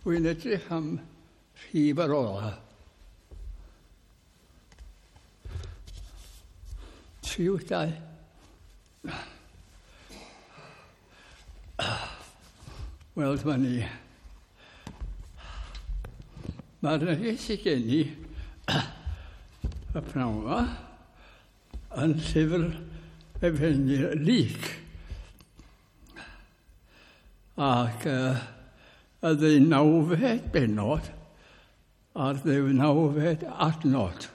Wy'n edrych am rhif ar ola. 3, 8, 2. Wel, dyma ni. Mae'r neges sydd gen i y pnawn yma yn llyfr Efengyl Luc. Ac y ddeunawfed bennod a'r ddeunawfed adnod.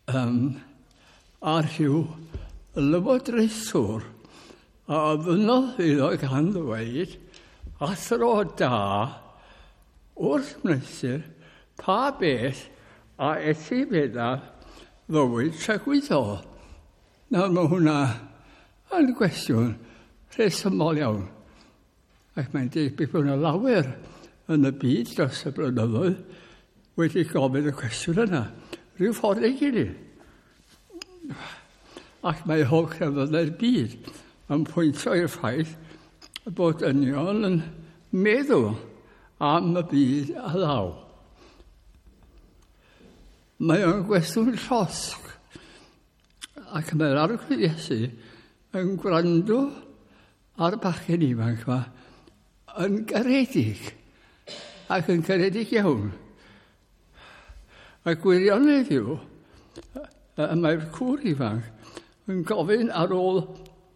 A rhyw lywodraethwr a ofynnodd iddo gan ddweud, Athro da, wrth wneuthur pa beth a etifeddaf fywyd tragwyddol? Nawr mae hwnna yn gwestiwn rhesymol iawn. Ac mae'n debyg bod yna lawer yn y byd dros y blynyddoedd wedi gofyn y cwestiwn yna, rhyw ffordd ei gilydd. Ac mae holl crefyddau'r byd yn pwyntio i'r ffaith bod dynion yn meddwl am y byd a ddaw. Mae o'n gwestiwn llosg, ac mae'r Arglwydd Iesu yn gwrando ar y bachgen ifanc yma yn garedig, ac yn garedig iawn. A gwirionedd yw, y mae'r cwr ifanc yn gofyn ar ôl,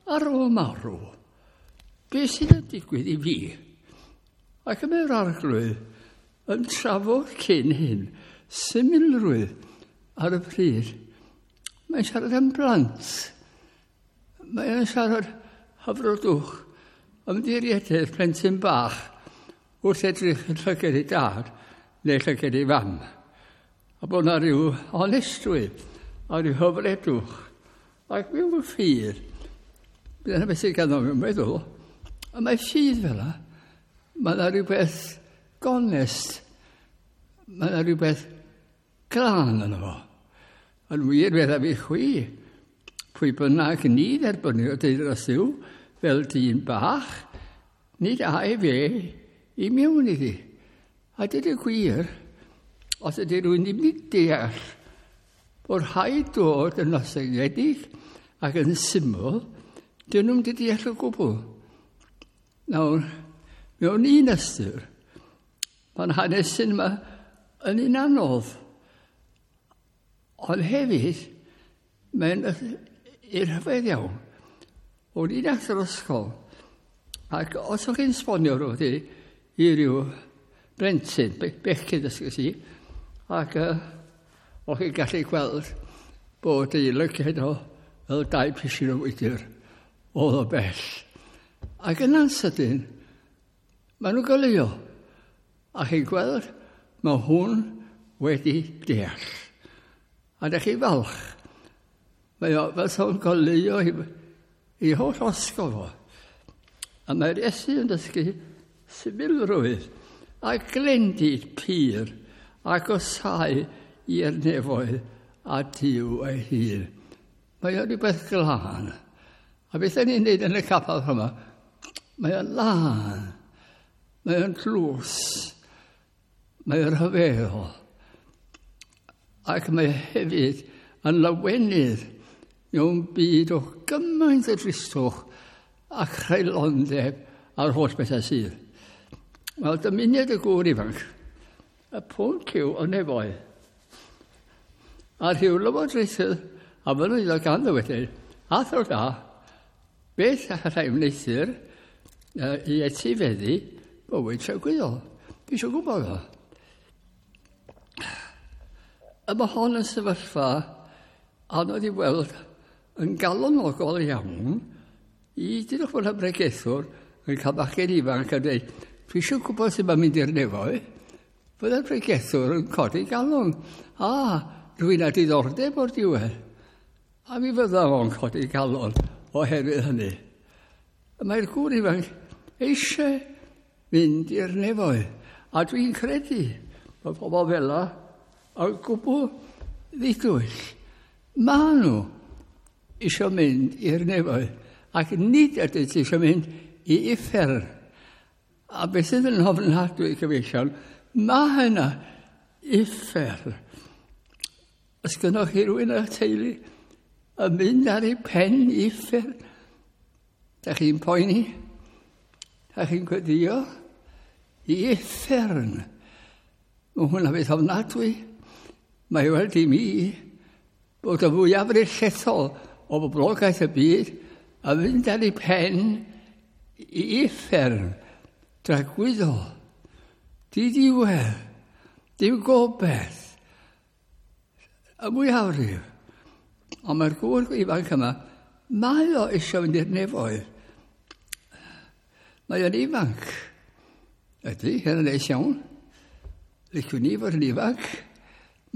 ar ôl marw, beth sydd yn digwydd i fi? Ac y mae'r Arglwydd yn trafod cyn hyn symlrwydd ar y pryd. Mae'n siarad am blant. Mae'n siarad hyfrydwch, ymddiriededd plentyn bach wrth edrych yn llygad ei dad neu llygad ei fam. A bod yna rhyw onestrwydd a rhyw hyfrydwch ac rhyw ffydd. Dyna beth sydd ganddo mewn meddwl. A mae ffydd fel yna. Mae yna rhywbeth gonest. Mae yna rhywbeth glân yno fo. Yn wir, feddaf i chwi, pwy bynnag ni dderbynio deyrnas Dduw fel dyn bach, nid âi fe i mewn iddi. A dweud y gwir, os ydy rhywun ddim wedi deall bod rhaid dod yn ostyngedig ac yn syml, dyn nhw'n wedi deall o gwbl. Nawr, mewn un ystyr, mae'n hanesyn yma yn un anodd. Ond hefyd, mae'n rhyfedd iawn. O'n i'n athro'r ysgol, ac os o'ch chi'n sbonio rhywbeth i ryw blentyn, bechgyn dysgus i, ac o'ch chi'n gallu gweld bod ei lygaid o fel dau pisyn o wydr oedd o bell. Ac yna'n sydyn, maen nhw'n goleuo. A chi'n gweld, mae hwn wedi deall. A ydych chi'n falch. Mae o fel sa'n goleuo i, i holl osgo fo. A mae'r Iesu yn dysgu symlrwydd a glendid pur ac osau i'r nefoedd a Duw ei hun. Mae o'n rhywbeth glân. A beth ni'n neud yn y capel yma, mae o'n lân, mae o'n tlws, mae o'n rhyfeddol. Ac mae hefyd yn lawenydd mewn byd o gymaint o dristwch a chreulondeb a'r holl bethau sydd. Wel, dymuniad y gŵr ifanc, y pwnc yw y nefoedd. A rhyw lywodraethydd a fynnu iddo gan ddywedyd, athro da, beth allai wneuthur i etifeddu bywyd tragwyddol? Fi eisiau gwybod o. A mae hon yn sefyllfa anodd i weld yn galonogol iawn i dydwch bod y bregethwr yn cael bachgen ifanc a dweud, dwi eisiau gwybod sut mae'n mynd i'r nefoedd. Byddai'r pregethwr yn codi galon. A, rwy'n â diddordeb o'r diwedd. A mi fydda fo'n codi galon oherwydd hynny. Mae'r gŵr ifanc eisiau mynd i'r nefoedd. A dwi'n credu bod pobl fel yna yn gwbl ddidwyll. Maen nhw eisiau mynd i'r nefoedd ac nid ydynt eisiau mynd i uffern. A beth sydd yn ofnadwy, gyfeillion, mae yna uffern. Os gynnoch chi rywun yn eich teulu yn mynd ar ei pen i uffern, da chi'n poeni, da chi'n gweddio i uffern. Mae hwnna beth ofnadwy. Mae weld i mi bod y fwyafrif llethol o boblogaeth y byd yn mynd ar ei pen i uffern dragwyddol, diddiwedd, dim gobeith, y mwyafrif. Ond mae'r gŵr ifanc yma, mae o eisiau fynd i'r nefoedd. Mae o'n ifanc. Ydy, hyn yn neis iawn. Liciwn ni fod yn ifanc.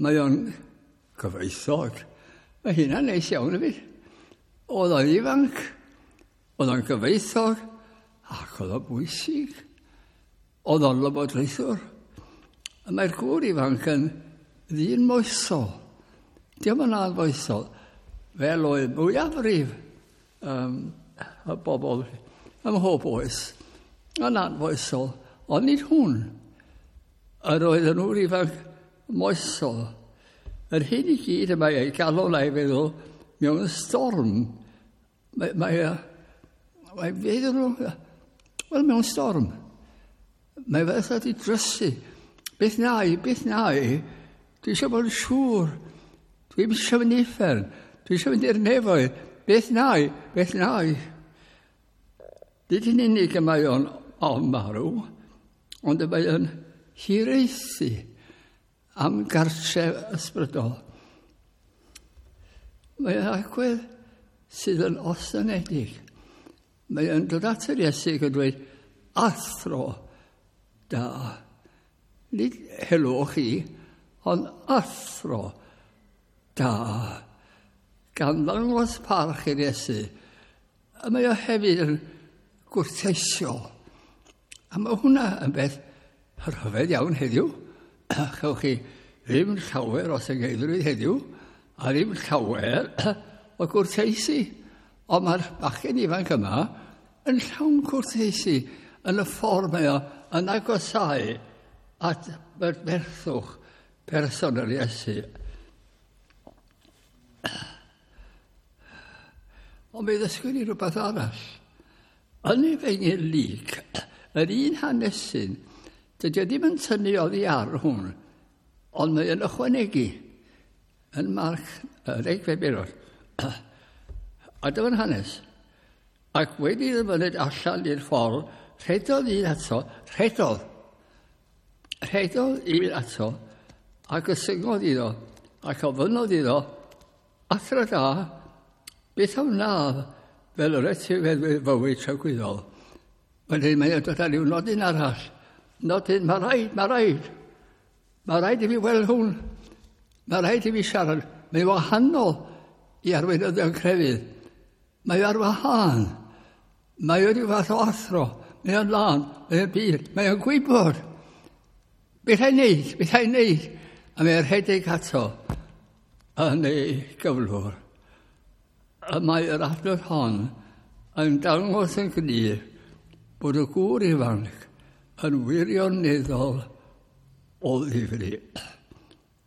Mae o'n gyfoethog. Mae hynna'n neis iawn hefyd. Oedd o'n ifanc, oedd o'n gyfoethog, ac oedd o'n bwysig. Oedd o'n lywodraethwr. A mae'r gŵr ifanc yn ddyn moesol. Dio'm yn anfoesol, fel oedd mwyafrif y bobl ym mhob oes. Yn anfoesol, ond nid hwn. Yr oedd yn ŵr ifanc moesol. Yr hyn i gyd y mae ei galon a'i feddwl mewn storm. Mae feddwl, wel, mewn storm. Mae fel sa di drysu. Beth na i, beth na i? Dwi eisiau bod yn siŵr. Dwi eisiau mynd i uffern. Dwi eisiau mynd i'r nefoedd. Beth na i, beth na i? Nid yn unig y mae o'n ofn marw, ond y mae o'n hiraethu am gartref ysbrydol. Mae o'n agwedd sydd yn ostyngedig. Mae o'n dod at yr Iesu ac yn dweud, athro da. Nid helo chi, ond athro da. Gan ddangos parch i'r Iesu. A mae o hefyd yn gwrteisiol. A mae hwnna yn beth rhyfedd iawn heddiw. Chewch chi ddim llawer o sengeiddrwydd heddiw, a ddim llawer o gwrteisi. Ond mae'r bachgen ifanc yma yn llawn gwrteisi yn y ffordd mae o yn agosáu at berthwch person yr Iesu. Ond mi ddysgwn ni rhywbeth arall. Yn Efengyl Luc, yr un hanesyn, dydy o ddim yn tynnu oddi ar hwn, ond mae yn ychwanegu yn Marc 10 bennod. A dyma'n hanes. Ac wedi iddo fyned allan i'r ffordd, rhedodd un ato, rhedodd. Rhedodd un ato, ac ysyngodd iddo, ac ofynnodd iddo, athro da, beth a wnaf fel yr etifeddwyr fywyd tragwyddol? Wedyn mae'n dod â rhyw nodyn arall. Nodyn, mae rhaid, mae rhaid. Mae rhaid i fi weld hwn. Mae rhaid i fi siarad. Mae'n wahanol i arweinyddion crefydd. Mae ar wahân. Mae o ryw fath o athro. Mae o'n lân, mae o'n bur, mae o'n gwybod. Beth a'i wneud, beth a'i wneud. A mae o'n rhedeg ato yn ei gyflwr. A mae yr adnodd hon yn dangos yn glir bod y gŵr ifanc yn wirioneddol o ddifri.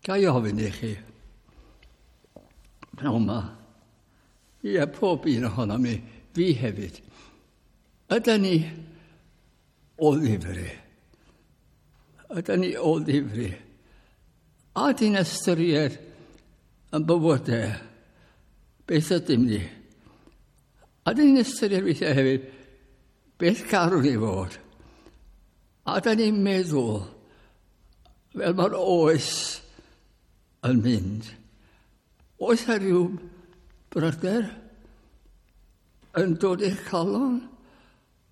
Ga i ofyn i chi, pnawn ma, ie, pob un ohonom ni, fi hefyd, ydyn ni o ddifri? Ydyn ni o ddifri? A dyn ystyried yn bywydau, beth ydym ni? A dyn ni'n ystyried weithiau hefyd, beth garwn ni fod? A dyn ni'n meddwl, fel mae'r oes yn mynd, oes yna rhyw bryder yn dod i'ch calon?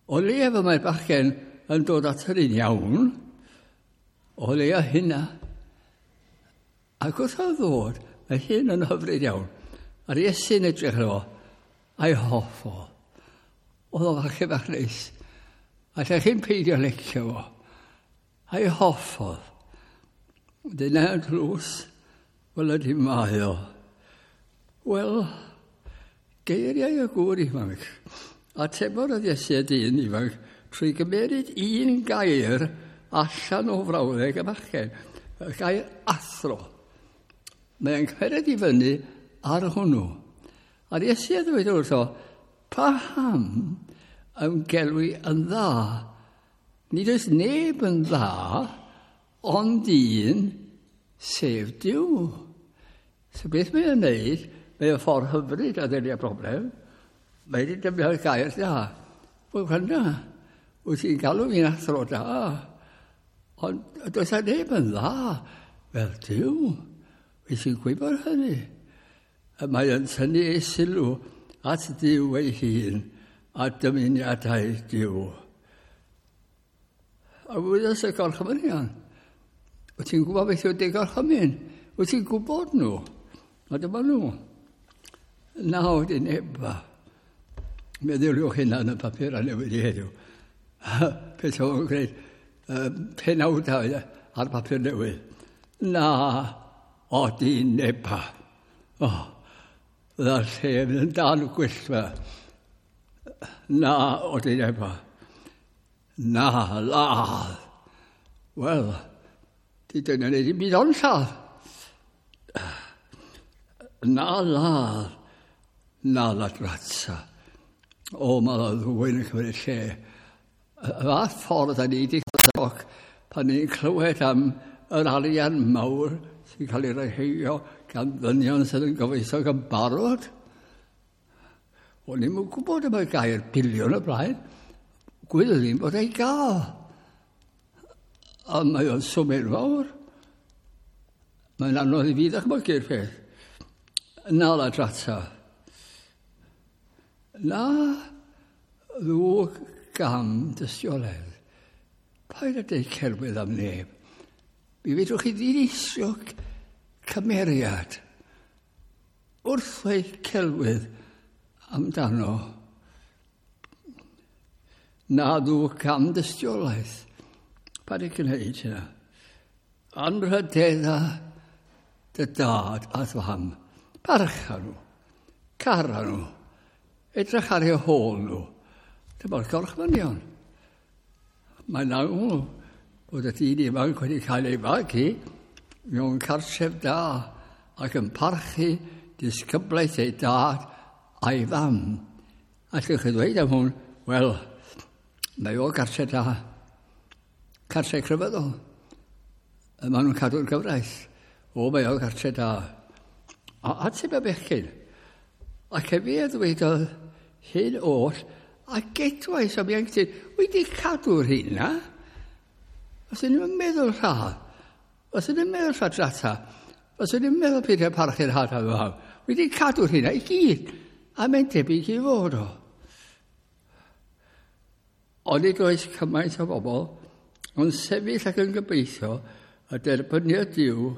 O leia fe mae'r bachgen yn dod at yr un iawn, o leia hynna. Ac wrth o ddod, mae hyn yn hyfryd iawn. A'r Iesu'n edrych arno fo, a'i hoff o. Oedd o falle bach neis. A lle chi'n peidio licio fo. A'i hoffodd. Dyna yn tlws, wel ydy mae o. Wel, geiriau y gŵr ifanc. Atebodd yr Iesu y dyn ifanc, trwy gymeryd un gair allan o frawddeg y bachgen, y gair athro. Mae'n cymryd i fyny ar hwnnw. A'r Iesu a ddweud wrtho, paham ym gelwi yn dda? Nid oes neb yn dda, ond un, sef Duw. So beth mae'n wneud, mae'n ffordd hyfryd a ddelio broblem. Mae wedi defnyddio'r gair da. Wel, hynna, wyt ti'n galw fi'n athro da, ond does a neb yn dda fel Duw. Wyt ti'n gwybod hynny? A mae yn tynnu ei sylw at Dduw ei hun a dymuniadau Duw. A wyddos y gorchmynion. Wyt ti'n gwybod beth yw dy gorchymyn? Wyt ti'n gwybod nhw? A dyma nhw. Naw dyn eba. Meddyliwch hynna yn y papur a newydd i heddiw. Peth o'n gwneud penawdau ar papur newydd. Na, o dyn neba. O, fydda'r lle mynd yn dan gwyllt fe. Na, o dyn neba. Na, ladd. Wel, di dyna wneud i byd ond lladd. Na ladd, na ladratsa. O, mae yna ddwyn yn cymryd lle. Y fath ffordd a ni wedi cael pan ni'n clywed am yr arian mawr sy'n cael ei reheio gan ddynion sydd yn gyfoethog yn barod. O'n i'n gwybod am y gair biliwn o blaen. Gwyddwn i'n bod ei gael. Ond mae o'n swm enfawr. Mae'n anodd i fi ddychmygu'r peth. Na ladrata. Na ddwg gam dystiolaeth. Paid â deud celwydd am neb. Mi fedrwch chi ddinistrio cymeriad wrth ddweud celwydd amdano. Na ddwg gam dystiolaeth. Paid â gwneud hynna. Anrhydedda dy dad a fam. Parcha nhw. Cara nhw. Edrych ar eu hôl nhw. Dyma'r gorchmynion. Mae'n amlwg bod y dyn ifanc wedi cael ei fagu mewn cartref da ac yn parchu disgyblaeth ei dad a'i fam. Allwch chi ddweud am hwn, wel, mae o gartref da, cartref crefyddol. Maen nhw'n cadw'r gyfraith. O, mae o gartref da. A ateb y bechgyn. Ac efe a ddwedodd hyn oll, a gedwais am ieuenctid, wedi cadw'r hynna. Os ydyn nhw'n meddwl rhadd, os ydyn nhw'n meddwl lladrata, os ydyn nhw'n meddwl peidio parchu'r had a fam, wedi cadw'r hynna i gyd, a mae'n debyg i fod o. Ond nid oes cymaint o bobl yn sefyll ac yn gobeithio y derbyniad Duw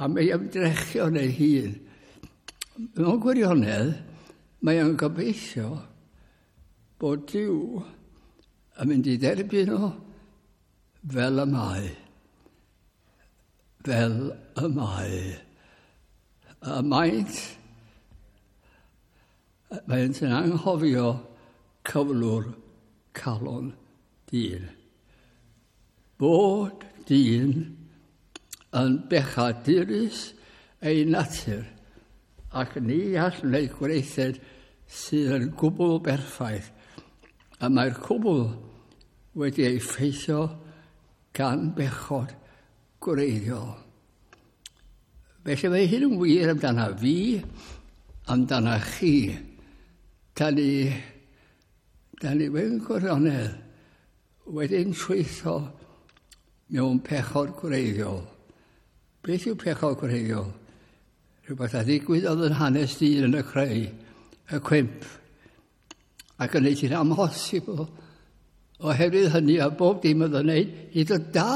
am ei ymdrechion ei hun. Mewn gwirionedd, mae o'n gobeithio bod Duw yn mynd i dderbyn o fel y mae. Fel y mae. Y maent, maent yn anghofio cyflwr calon dyn. Bod dyn yn bechadurus ei natur ac ni all wneud gweithred sydd yn gwbl berffaith. A mae'r cwbl wedi ei ffeithio gan bechod gwreiddiol. Felly mae hyn yn wir amdana fi, amdana chi. Da ni mewn gwirionedd wedi'n trwytho mewn pechod gwreiddiol. Beth yw pechod gwreiddiol? Rhywbeth a ddigwyddodd yn hanes dyn yn y creu, y cwymp, ac yn neud hi'n amhosibl oherwydd hynny a bob dim oedd yn neud hyd o da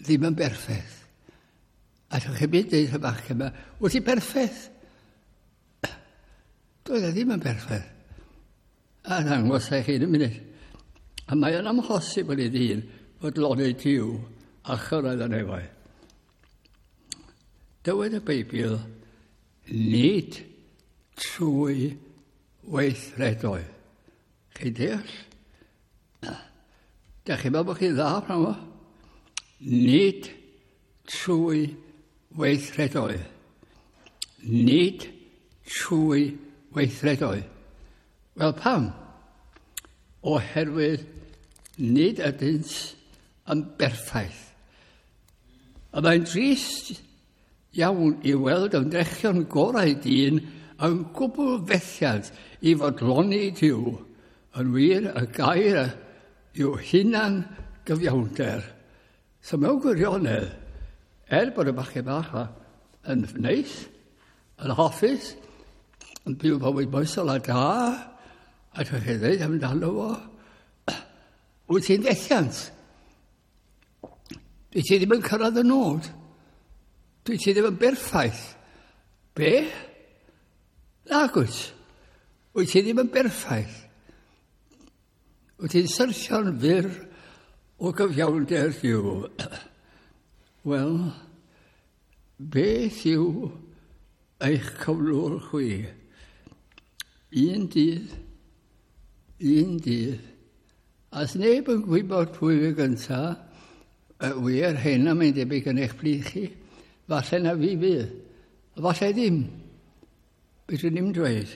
ddim yn berffaith. A ydych chi'n mynd deud y bachgen yma, wyt ti berffaith? Doedd e ddim yn berffaith. A ddangos e chi'n y munud. A mae yn amhosibl i ddyn fodloni Duw a chyrraedd y nefoedd. Dywed y Beibl, nid trwy weithredoedd. Chi'n deall? Da chi'n meddwl bod chi'n dda pnawn yma? Nid trwy weithredoedd. Nid trwy weithredoedd. Wel, pam? Oherwydd nid ydynt yn berffaith. A mae'n drist iawn i weld ymdrechion gorau dyn yn gwbl fethiant i fodloni Duw. Yn wir, y gair yw hunan gyfiawnder. So mewn gwirionedd, er bod y bachgen bach yn neis, yn hoffus, yn byw bywyd moesol a da, a dwi'n chi ddweud amdano fo, wyt ti'n fethiant. Dwi ti ddim yn cyrraedd y nod. Dwi ti ddim yn berffaith. Be? Nag wyt. Wyt ti ddim yn berffaith. Wyt ti'n syrthio'n fyr o gyfiawnder Duw. Wel, beth yw eich cyflwr chwi? Un dydd, un dydd, a sneb yn gwybod pwy fi gynta, wir hyn am ein debyg yn eich plith chi, falle na fi fydd, a falle ddim. Beth ni'n dweud?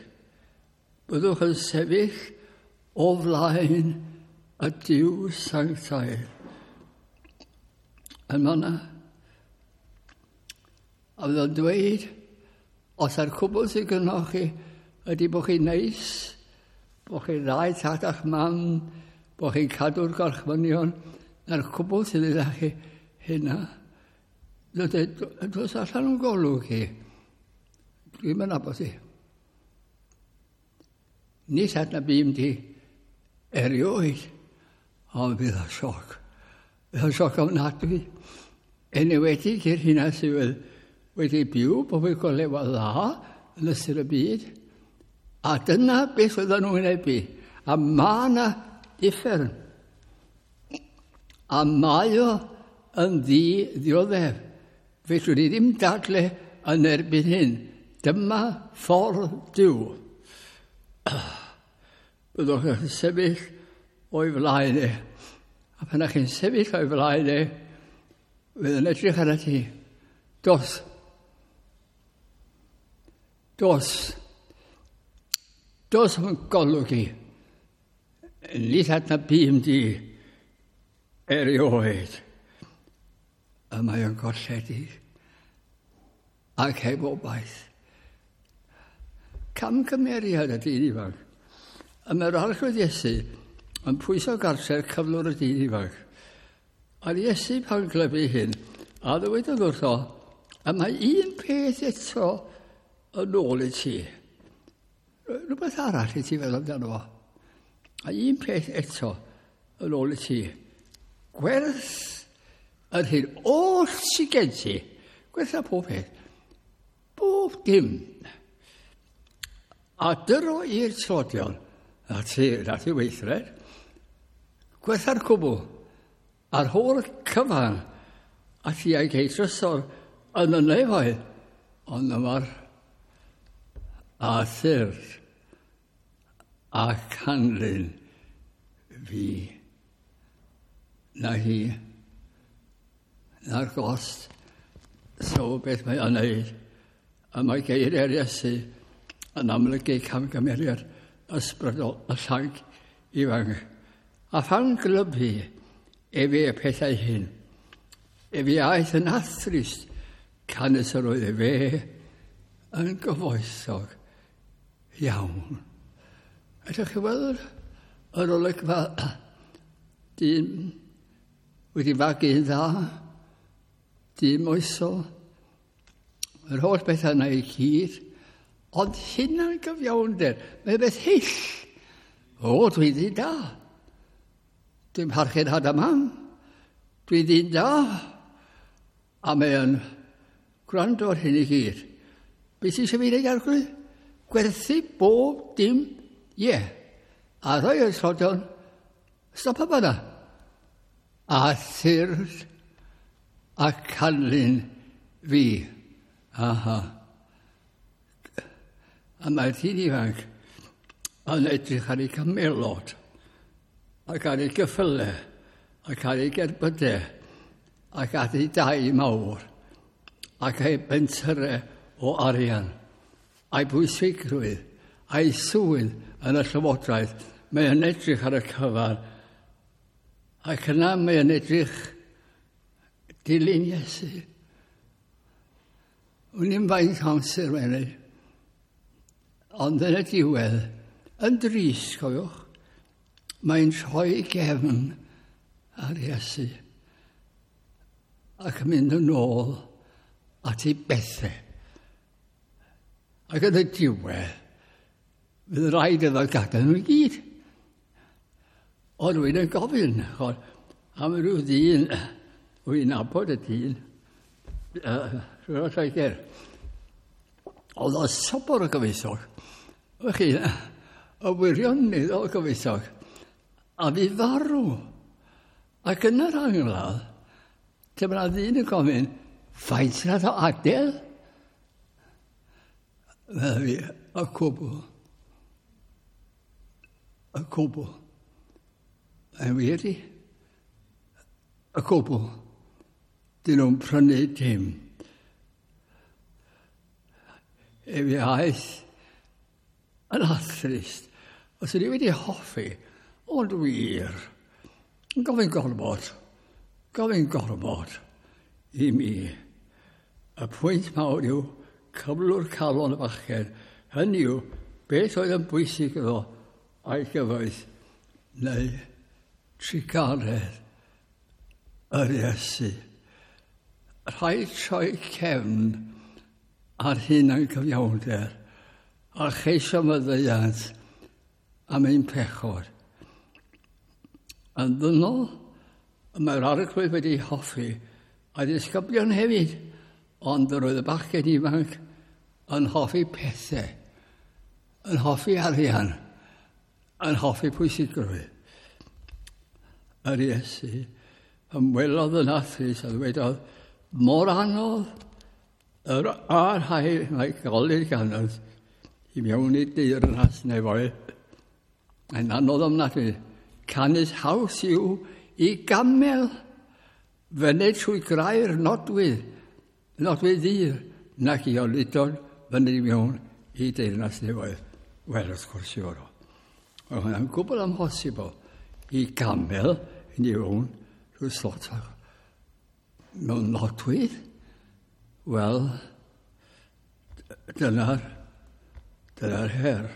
Byddwch yn sefyll o flaen y Duw sanctaidd. Yn fanna. A fydd o'n dweud, os ar cwbl sydd gynnoch chi ydy bod chi'n neis, bod chi'n dda i tad a'ch mam, bod chi'n cadw'r gorchmynion, na'r cwbl sydd idda chi hynna. Dos allan o'n golwg chi. Dwi'm yn nabod ti. Nis adnabûm di erioed, ond bydd o sioc. Bydd o'n sioc ofnadwy. Enwedig i'r hynna sydd wedi byw bywyd golewa dda yn ystod y byd. A dyna beth oedden nhw'n wynebu. A mae yna uffern. A mae o yn ddi ddioddef. Fedrwn ni ddim dadle yn erbyn hyn. Dyma ffordd Duw. Byddwch yn sefyll o'i flaen e. A pan ych chi'n sefyll o'i flaen e, fydd yn edrych ar ti. Dos. Dos. Dos yn golwg i. Nid adnabûm di erioed. Y mae o'n golledig ac heb obaith. Camgymeriad y dyn ifanc. A mae'r Arglwydd Iesu yn pwyso gartref cyflwr y dyn ifanc. A'r Iesu pan glybu hyn, a ddywedodd wrtho, a mae un peth eto yn ôl i ti. Rhywbeth arall i ti feddwl amdano fo. A un peth eto yn ôl i ti. Gwerth yr hyn oll sydd gen ti. Gwerth a pob peth. Bob dim. A dyro i'r tlodion, na ti, na ti weithred, gwertha'r cwbl, a'r holl cyfan, a ti a'i gei trysor yn y nefoedd, ond yma'r a thyrd a canlyn fi. Na hi, na'r gost, so beth mae o'n neud, a mae geiriau'r Iesu yn amlygu camgymeriad ysbrydol y llanc ifanc. A phan glybu efe y pethau hyn, efe aeth yn athrist, canys yr oedd efe yn gyfoethog iawn. Ydych chi weld yr olygfa dyn wedi fagu'n dda, dyn moesol, yr holl bethau yna i gyd, ond hunan gyfiawnder, mae beth hyll. O, dwi'n ddyn da. Dwi'n parchu'n had a mam. Dwi'n ddyn da. A mae yn gwrando ar hyn i gyd. Beth sy'n eisiau fi wneud, Arglwydd? Gwerthu bob dim, ie. Yeah. A rhoi o'r tlodion, stop yma. A thyrd a canlyn fi. Aha. A mae'r dyn ifanc yn edrych ar ei camelod ac ar ei gyffyle ac ar ei gerbydau ac at ei dai mawr ac ei bentyrau o arian a'i bwysigrwydd a'i swydd yn y llywodraeth. Mae yn edrych ar y cyfan ac yna mae yn edrych dilyn Iesu. Wn i'm faint amser mae'n ei. Ond yn y diwedd, yn drist, cofiwch, mae'n troi gefn ar Iesu ac yn mynd yn ôl at ei bethau. Ac yn y diwedd, fydd rhaid iddo gadael nhw i gyd. Ond rwy'n yn gofyn, chod, am ryw ddyn, wy'n nabod y dyn, rhywun o Lloegr. Oedd o sobor o gyfoethog. Wych chi, y wirioneddol o gyfoethog. A fi farw. Ac yn yr angladd, dyma ddyn yn gofyn, faint nath o adael? Fel fi, y cwbl. Y cwbl. Mae'n wir i. Y cwbl. Dyn nhw'n prynu dim. E fi aeth yn athrist. Os ydw i wedi hoffi, ond wir, yn gofyn gormod, gofyn gormod i mi. Y pwynt mawr yw cyflwr calon y bachgen. Hynny yw, beth oedd yn bwysig iddo a'i gyfoeth neu trugaredd yr Iesu. Rhaid troi cefn ar hunan cyfiawnder a cheisio maddeuant am ein pechod. Yn ddynol, mae'r arglwydd wedi hoffi a disgyblion hefyd, ond yr oedd y bachgen ifanc yn hoffi pethau, yn hoffi arian, yn hoffi pwysigrwydd. Yr Iesu ymwelodd yn athrys a ddwedodd, mor anodd yr a'r rhai mae golli'r ganodd i mewn i deyrnas nefoedd. Mae'n anodd ofnadwy. Canys haws yw i gamel fyned trwy grau'r nodwydd, nodwydd ddur, nac i oludon fyny i mewn i deyrnas nefoedd. Wel, wrth gwrs i fod o. Mae hwnna'n gwbl amhosibl i gamel i ni mewn rhyw slot mewn nodwydd. Wel, dyna'r dyna her.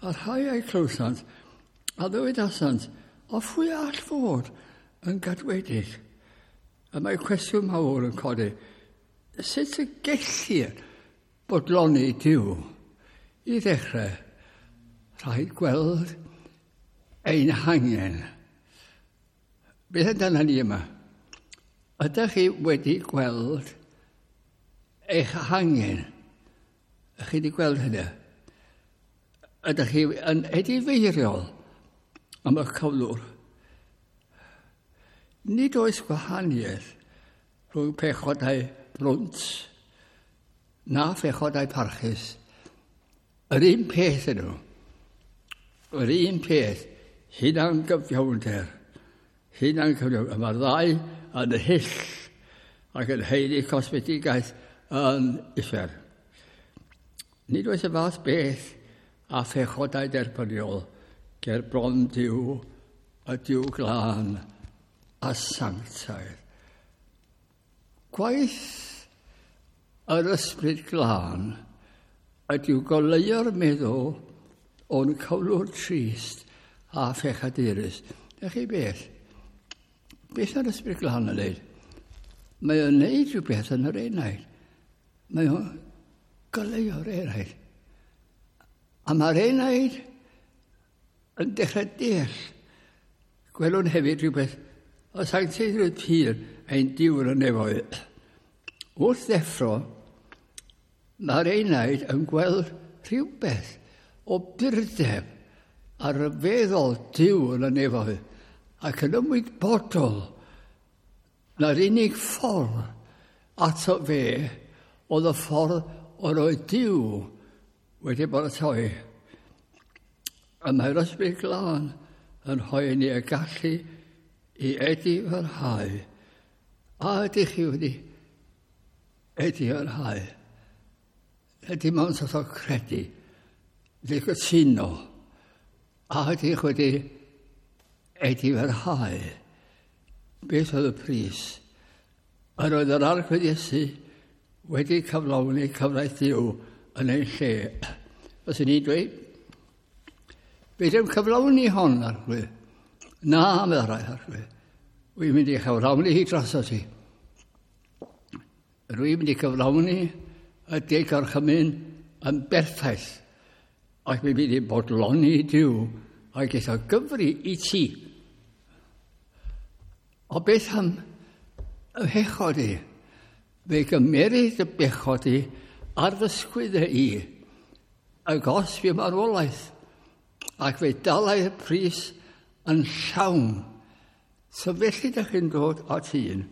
A rhai a'i clywsant, a ddywedasant, o phwy all fod yn gadwedig? A mae cwestiwn mawr yn codi, sut y gellir bodloni Duw? I ddechrau, rhaid gweld ein hangen. Beth amdano ni yma? Ydych chi wedi gweld eich hangen? Ydych chi wedi gweld hynny? Ydych chi yn edifeiriol am y cyflwr? Nid oes gwahaniaeth rhwng pechodau brwnt na phechodau parchus. Yr un peth ydyn nhw. Yr un peth, hunan gyfiawnder. Hunan cyfiawnder. Mae'r ddau yn hyll ac yn haeddu cosmetigaeth yn uffern. Nid oes y fath beth a phechodau derbyniol ger bron Duw, y Duw glân a sanctaidd. Gwaith yr ysbryd glân ydyw goleuo'r meddwl o'n cyflwr trist a phechadurus. Ydych chi beth? Beth mae'r ysbryd glân yn neud? Mae o'n neud rhywbeth yn yr enaid. Mae o'n goleuo'r enaid. A mae'r enaid yn dechrau deall. Gwelwn hefyd rhywbeth o sancteiddrwydd pur ein Duw yn y nefoedd. Wrth ddeffro, mae'r enaid yn gweld rhywbeth o burdeb a rhyfeddol Duw yn y nefoedd ac yn ymwybodol na'r unig ffordd ato fe oedd y ffordd o'r oedd Duw wedi baratoi. A mae'r ysbryd glân yn rhoi ni y gallu i edifarhau. A ydych chi wedi edifarhau? Ydy mewn sort o credu, wedi cytuno, a ydych wedi edifarhau? Beth oedd y pris? Yr oedd yr Arglwydd Iesu wedi cyflawni cyfraith Duw yn ei lle. Fyswn i'n dweud, fe ddim cyflawni hon, Arglwydd. Na, meddai Arglwydd. Wy'n mynd i chyflawni hi droso ti. Rwy'n mynd i cyflawni y deg orchymyn yn berffaith. Ac mi'n mynd i bodloni Duw ac eitha gyfri i ti. O beth am y bechod i? Fe gymeryd y bechod i ar fy sgwyddau i, y gosb i marwolaeth, ac fe dalai y pris yn llawn. So felly ydych chi'n dod at un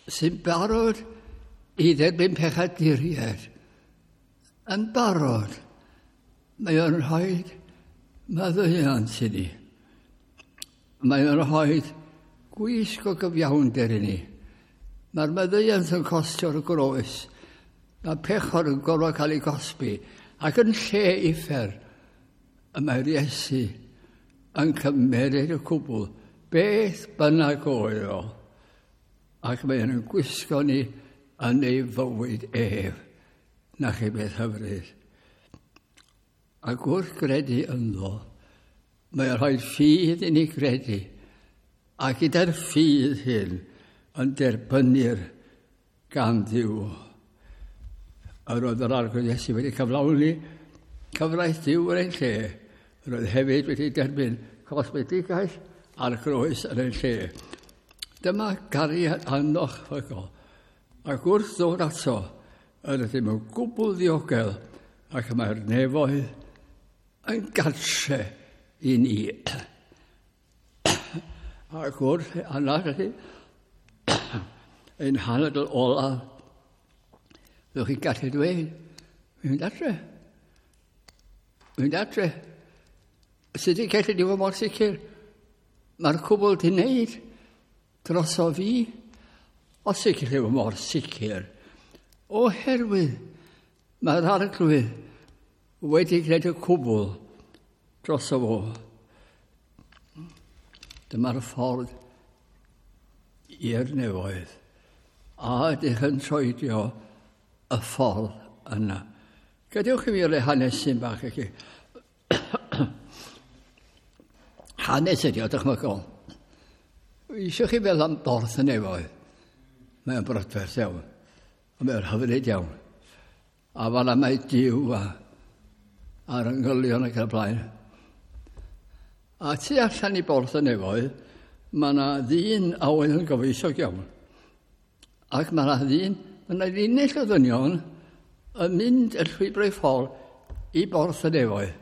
sy'n barod i dderbyn pechaduriaid. Yn barod, mae o'n rhoi maddeuant i ni. Mae o'n rhoi gwisg o gyfiawnder i ni. Mae'r maddeuant yn costio'r groes. Mae pechod yn gorfod cael ei gosbi. Ac yn lle uffern, y mae'r Iesu yn cymeryd y cwbl, beth bynnag oedd o. Ac mae'n gwisgo ni yn ei fywyd ef. Na chi beth hyfryd. Ac wrth gredu ynddo, mae'n rhoi ffydd i ni gredu. A gyda'r ffydd hyn yn derbynnir gan Dduw. Yr oedd yr Arglwydd Iesu wedi cyflawni cyfraith Duw yn ein lle. Yr oedd hefyd wedi derbyn cosmedigaeth a'r groes yn ein lle. Dyma gariad annychmygol. Ac wrth ddod ato, yr ydym yn gwbl ddiogel ac mae'r nefoedd yn gartre i ni. Ac wrth anadlu ein hanadl olaf, fyddwch chi'n gallu dweud, fi'n mynd adre. Fi'n mynd adre. Sut i'n gallu di fod mor sicr? Mae'r cwbl di wneud droso fi. Os i'n gallu fod mor sicr. Oherwydd mae'r Arglwydd wedi gwneud y cwbl droso fo. Dyma'r ffordd i'r nefoedd. A ydych yn troedio y ffordd yna. Gadewch i fi roi hanesyn bach i chi. Hanes ydi o, dychmygol. Eisiau chi feddwl am borth y nefoedd? Mae'n brydferth iawn. A mae'n hyfryd iawn. A fan'na mae Duw a'r angylion ac yn y blaen. A tu allan i borth y nefoedd, mae yna ddyn a oedd yn gyfoethog iawn. Ac mae yna ddyn, mae yna linell o ddynion yn mynd y llwybrau ffordd i borth y nefoedd.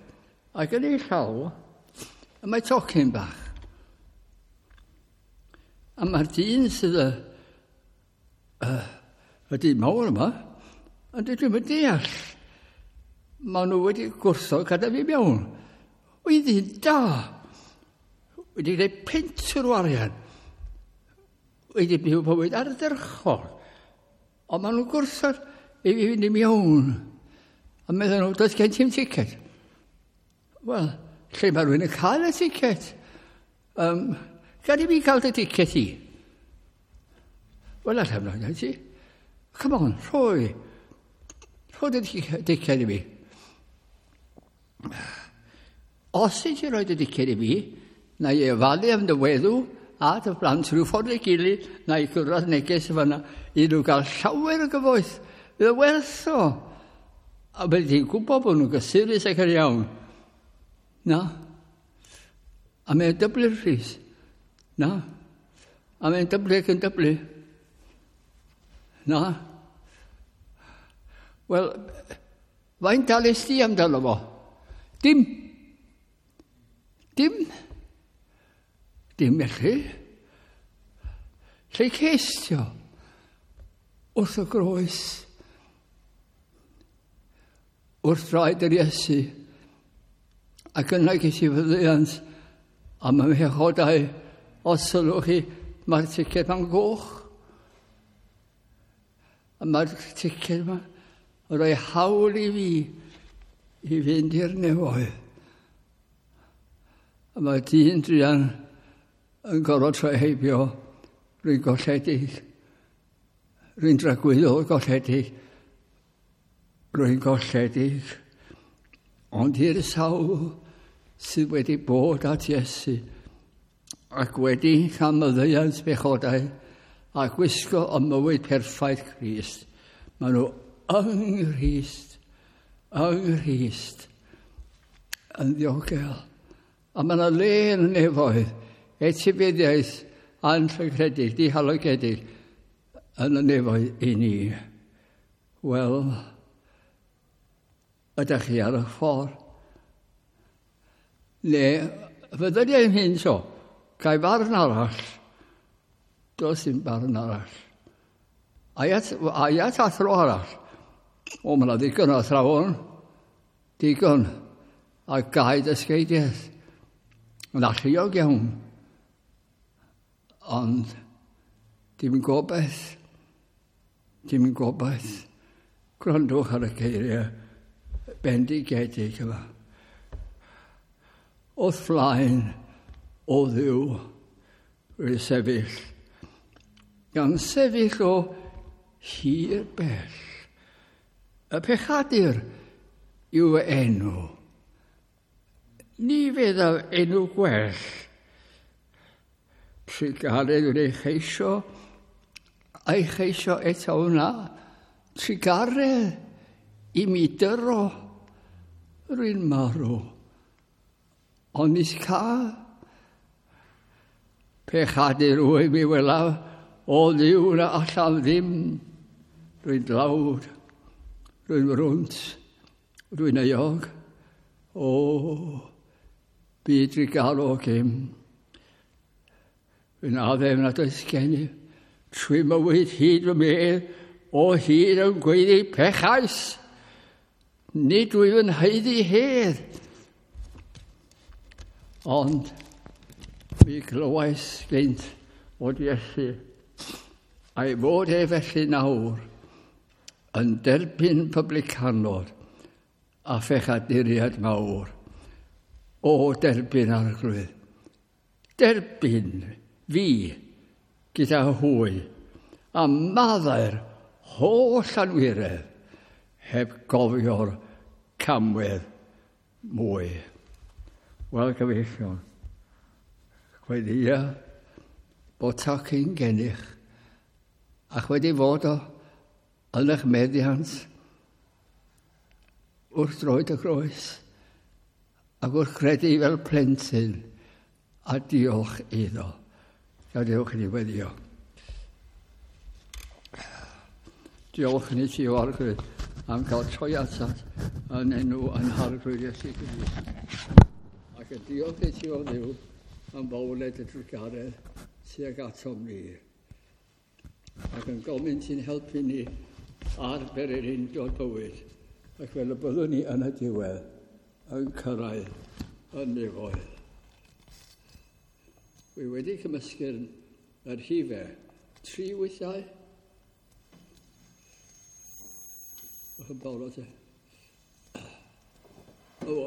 Ac yn ei llaw, y mae tocyn bach. A mae'r dyn sydd y dyn mawr yma, yn dweud, dwi'm yn deall. Maen nhw wedi gwrthod gadael fi mewn. Wy'n ddyn da. Wedi gwneud pentwr o arian. Wedi byw bywyd ardderchog. Ond maen nhw'n gwrthod i fi fynd i mewn. A meddwl nhw, does gen ti'm ticed. Wel, lle mae rhywun yn cael y ticed? Gad i fi cael dy ticed i. Wel, allan nhw'n ti. Come on, rhoi. Rhoi dy ticed i fi. Os i ti roi dy diced i fi, na i ofalu am dy weddw a dy blant rhyw ffordd ei gilydd, na i gyrraedd neges fan'na, i nhw gael llawer o gyfoeth. Fydd o werth o. A byddi ti'n gwybod bod nhw'n gysurus ac yn iawn. Na. A mae'n dyblu'r rhys. Na. A mae'n dyblu ac yn dyblu. Na. Wel, faint dales di amdano fo? Dim. Dim. Dim felly. Lle cestio? Wrth y groes. Wrth draed yr Iesu. Ac yna ges i faddeuant A mae mhechodau, os sylwch chi, mae'r ticed ma'n goch. A mae'r ticed yma yn rhoi hawl i fi i fynd i'r nefoedd. A mae dyn druan yn gorfod troi heibio, rwy'n golledig, rwy'n dragwyddol golledig, rwy'n golledig. Ond i'r sawl sydd wedi bod at Iesu ac wedi cael maddeuant bechodau a gwisgo y mywyd perffaith Crist, maen nhw yng Nghrist, yng Nghrist, yn ddiogel. A mae yna le yn y nefoedd, etifeddiaeth anllygredig, dihalogedig, yn y nefoedd i ni. Wel, ydych chi ar y ffordd? Neu, fyddyliau yn hyn so, gael barn arall. Does dim barn arall. Aiat athro arall. O, mae yna ddigon o athrawon. Digon. A gau dysgeidiaeth. Yn alluog iawn. Ond dim gobaith. Dim gobaith. Gwrandwch ar y geiriau bendigedig yma. Wrth flaen o Dduw rwy'n sefyll, gan sefyll o hir bell. Y pechadur yw fy enw. Ni feddaf enw gwell. Trugaredd yw'n ei cheisio, a'i cheisio eto wna. Trugaredd i mi dyro, rwy'n marw. Ond nis cael pechadur wyf mi welaf, o Dduw na allaf ddim. Rwy'n dlawd, rwy'n rwnt, rwy'n euog. O, byd drugarog im. Rwy'n addef nad oes gennyf trwy mywyd hyd fy medd, o hyd yn gweiddi pechais. Nid wyf yn haeddu hedd. Ond mi glywais gynt fod Iesu, a'i fod e felly nawr, yn derbyn publicanod a phechaduriaid mawr. O, derbyn Arglwydd, derbyn fi gyda hwy, a maddau'r holl anwiredd heb gofio'r camwedd mwy. Wel, gyfeillion, gweddïa bod tocyn gennych ac wedi fod o yn eich meddiant wrth droed y groes ac wrth credu fel plentyn a diolch iddo. Gadewch i ni weddio. Diolch i ni ti o Arglwydd am gael troi atat yn enw yn Harglwydd Iesu Grist. Ac y diolch i ti o Dduw am fawled y drugaredd tuag atom ni. Ac yn gofyn ti'n helpu ni ar bererindod bywyd, ac fel y byddwn ni yn y diwedd yn cyrraedd y nefoedd. Wy wedi cymysgu'r yr rhifau 3 weithiau. Yn barod e. O.